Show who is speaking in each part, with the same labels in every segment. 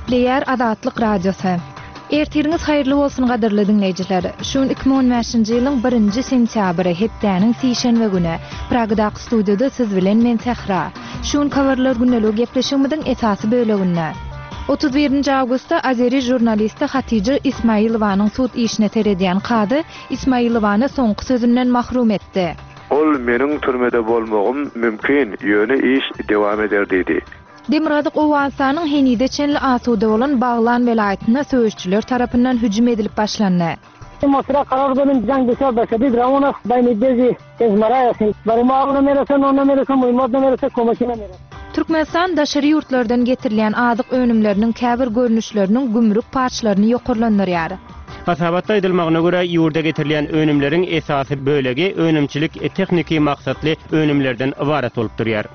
Speaker 1: Gepleýär Azatlyk Radiosy. Ertiriňiz haýyrly bolsun gadyrly diňleýjiler. Şu gün 2015-nji ýylyň birinji sentýabry, hepdäniň sişenbe güni. Pragadaky studiýada siz bilen men Sähra. Şu günki habarlar gündeligi gepleşigimiziň esasy böleginde. 31-nji awgustda azeri žurnalisti Hatija Ismailowanyň sud işine seredýän kazy Ismailowany soňky sözünden mahrum etdi.
Speaker 2: Ol meniň türmede bolmagym mümkin, ýöne iş dewam eder diýdi.
Speaker 1: Demirgazyk Owganystanyň henize çenli asuda bolan Baglan welaýatynda söweşijiler tarapyndan hüjüm edilip başlandy. Türkmenistan daşary ýurtlardan getirilýän azyk önümleriniň käbir görnüşleriniň gümrük paçlaryny ýokarlandyrýar.
Speaker 3: Hasabatda aýdylmagyna görä, ýurda getirilýän önümleriň esasy bölegi önümçilik-tehniki maksatly önümlerden ybarat bolup durýar.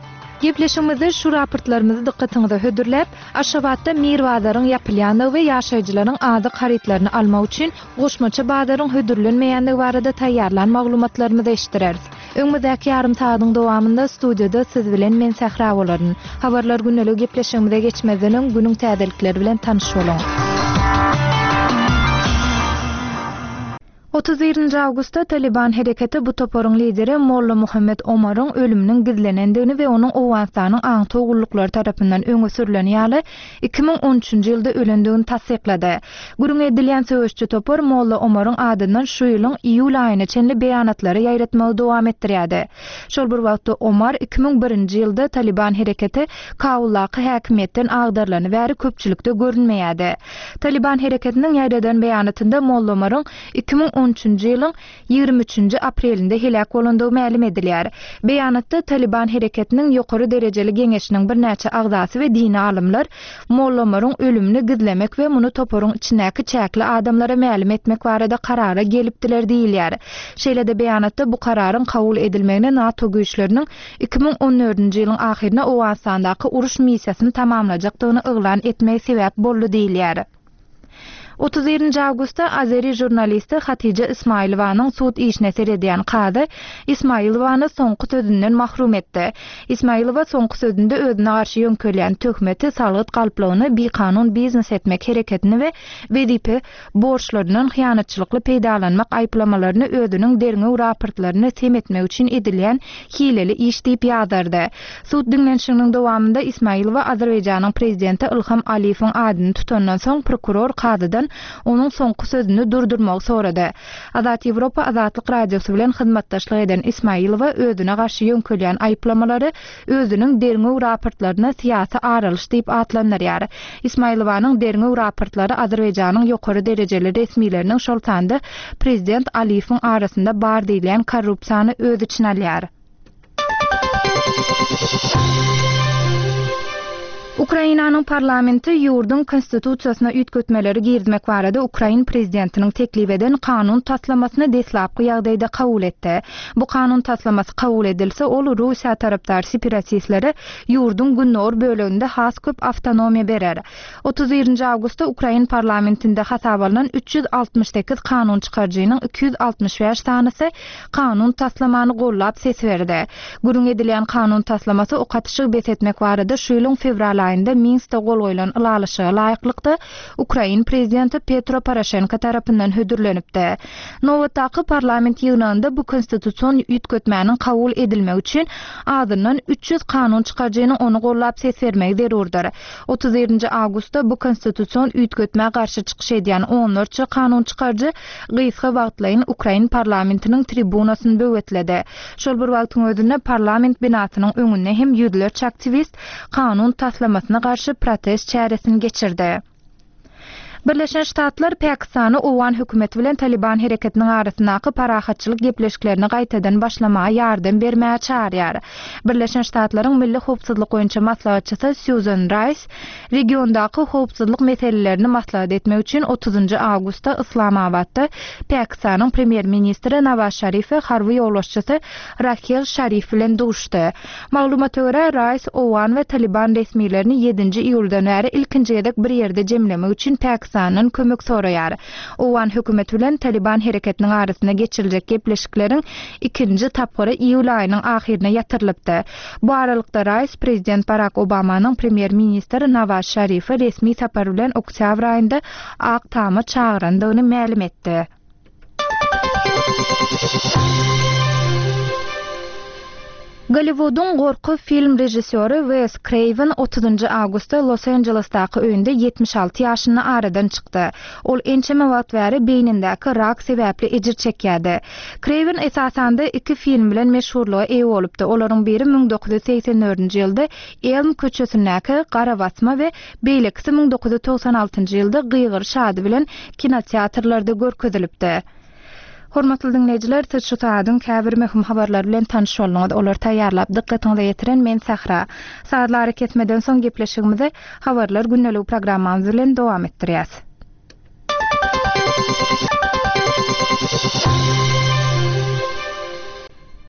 Speaker 1: Gepleşigimizde şu raportlarymyzy dykgatyňyza hödürläp, Aşgabatda Mir bazaryň ýapylýandygy we ýaşaýjylaryň azyk harytlaryny almak üçin goşmaça bazaryň hödürlenmeýändigi barada taýýarlan maglumatlarymyzy eşitdireris. Öňümizdäki ýarym sagadyň dowamynda studiýada siz bilen men Sähra bolaryn. Habarlar gündeligi gepleşigimize geçmezden öň günüň täzelikleri bilen tanyş boluň. 31-nji awgustda Talyban hereketi bu toparyň lideri Molla Muhammet Omaryň ölüminiň gizlenendigini we onuň Owganystanyň aňtaw gulluklary tarapyndan öňe sürleni ýaly 2013-nji ýylda ölendigini tassyklady. Gürrüňi edilýän söweşçi topar Molla Omaryň adyndan şu ýylyň iýul aýyna çenli beýanatlary ýaýratmagy dowam etdirýärdi. Şol bir wagtda Omar 2001-nji ýylda Talyban hereketi Kabuldaky häkimiýetden agdarylany bäri köpçülikde görünmeýärdi. Talyban hereketiniň ýaýradan beýanatynda Molla Omaryň 2013-nji ýylyň 23-nji aprelinde heläk bolandygy mälim edilýär. Beýanatda Talyban hereketiniň ýokary derejeli geňeşiniň birnäçe agzasy we dini alymlar Molla Omaryň ölümini gizlemek we muny toparyň içindäki çäkli adamlara mälim etmek barada karara gelipdiler diýilýär. Şeýle-de beýanatda bu kararyň kabul edilmegine NATO güýçleriniň 2014-nji ýylyň ahyryna Owganystandaky uruş missiýasyny tamamlajakdygyny yglan etmegi sebäp boldy diýilýär. 31-nji awgustda azeri žurnalisti Hatija Ismailowanyň sud işine seredýän kazy Ismailowany soňky sözünden mahrum etdi. Ismailowa soňky sözünde özüne garşy ýöňkelýän töhmeti, salgyt galplygyny, bikanun biznes etmek hereketini we wezipe borçlaryndan hyýanatçylykly peýdalanmak aýyplamalaryny özüniň derňew raportlaryny sem etmek üçin edilýän hileli iş diýip ýazardy. Sud diňlenişiginiň dowamynda Ismailowa Azerbaýjanyň prezidenti Ilham Aliýewiň adyny tutandan soň prokuror kazydan onuň soňky sözüni durdurmagy sorady. Azat Ýewropa Azatlyk Radiosy bilen hyzmatdaşlyk eden Ismailowa özüne garşy ýöňkelýän aýyplamalary özüniň derňew raportlaryna syýasy aralyş diýip atlandyrýar. Ismailowanyň derňew raportlary Azerbaýjanyň ýokary derejeli resmileriniň, şol sanda prezident Aliýewiň arasynda bar diýilýän korrupsiýany öz içine alýar. Ukrainanyň parlamenti ýurduň Konstitusiýasyna üýtgetmeleri girizmek barada ukrain prezidentiniň teklip eden kanun taslamasyny deslapky ýagdaýda kabul etdi. Bu kanun taslamasy kabul edilse, ol Russiýa tarapdar separatistlere ýurduň gündogar böleginde has köp awtonomiýa berer. 31-nji awgustda ukrain parlamentinde hasaba alnan 368 kanun çykaryjynyň 265 sanysy kanun taslamany gollap ses berdi. Gürrüň edilýän kanun taslamasy ok atyşygy bes etmek barada şu ýylyň fewral aýynda Minskde gol goýlan ylalaşyga laýyklykda ukrain prezidenti Petro Poroşenko tarapyndan hödürlenipdi. Nobatdaky parlament ýygnagynda bu konstitusion üýtgetmäniň kabul edilmegi üçin azyndan 300 kanun çykaryjynyň ony gollap ses bermegi zerurdyr. 31-nji awgustda bu konstitusion üýtgetmä garşy çykyş edýän onlarça kanun çykaryjy gysga wagtlaýyn ukrain parlamentiniň tribunasyny böwetledi. Şol bir wagtyň özünde parlament binasynyň öňünde hem ýüzlerçe aktiwist kanun taslamasyna garşy protest çäresini geçirdi. Birleşen Ştatlar Pakistany owgan hökümeti bilen Talyban hereketiniň arasyndaky parahatçylyk gepleşiklerini gaýtadan başlamaga ýardam bermäge çagyrýar. Birleşen Ştatlaryň Milli howpsuzlyk boýunça maslahatçysy Sýuzan Raýs regiondaky howpsuzlyk meselelerini maslahat etmek üçin otuzynjy awgustda Yslamabatda Pakistanyň premýer-ministri Nawaz Şarif we harby ýolbaşçysy Rahil Şarif bilen duşdy. Maglumata görä, Raýs owgan we Talyban resmilerini ýedinji iýuldan bäri ilkinji gezek bir ýerde jemlemek üçin Pakistana. Pakistandan kömek soraýar. Owgan hökümeti bilen Talyban hereketiniň arasynda geçiriljek gepleşikleriň ikinji tapgyry iýul aýynyň ahyryna ýatyrylypdy. Bu aralykda Raýs prezident Barak Obamanyň premýer-ministr Nawaz Şarifi resmi sapar bilen oktýabr aýynda Ak Tama çagyrandygyny mälim etdi. Golliwudyň gorky film režissýory Wes Kreýwen otuzynjy awgustda Los-Anjelesdaky öýünde 76 ýaşynda aradan çykdy. Ol ençeme wagt bäri beýnindäki rak sebäpli ejir çekýärdi. Kreýwen esasanda iki film bilen meşhurlyga eýe bolupdy. Olaryň biri 1984-nji ýylda Elm köçesindäki Garabasma we Beýlekisi 1996-njy ýylda Gygyryş ady bilen kinoteatrlarda görkezilipdi. Hormatly diňleýjiler, siz şu sagadyň käbir möhüm habarlary bilen tanyş bolduňyz. Olary taýýarlap, dykgatyňyza ýetiren men Sähra. Sazly arakesmeden soň gepleşigimizi Habarlar gündeligi programmamyz bilen dowam etdirýäs.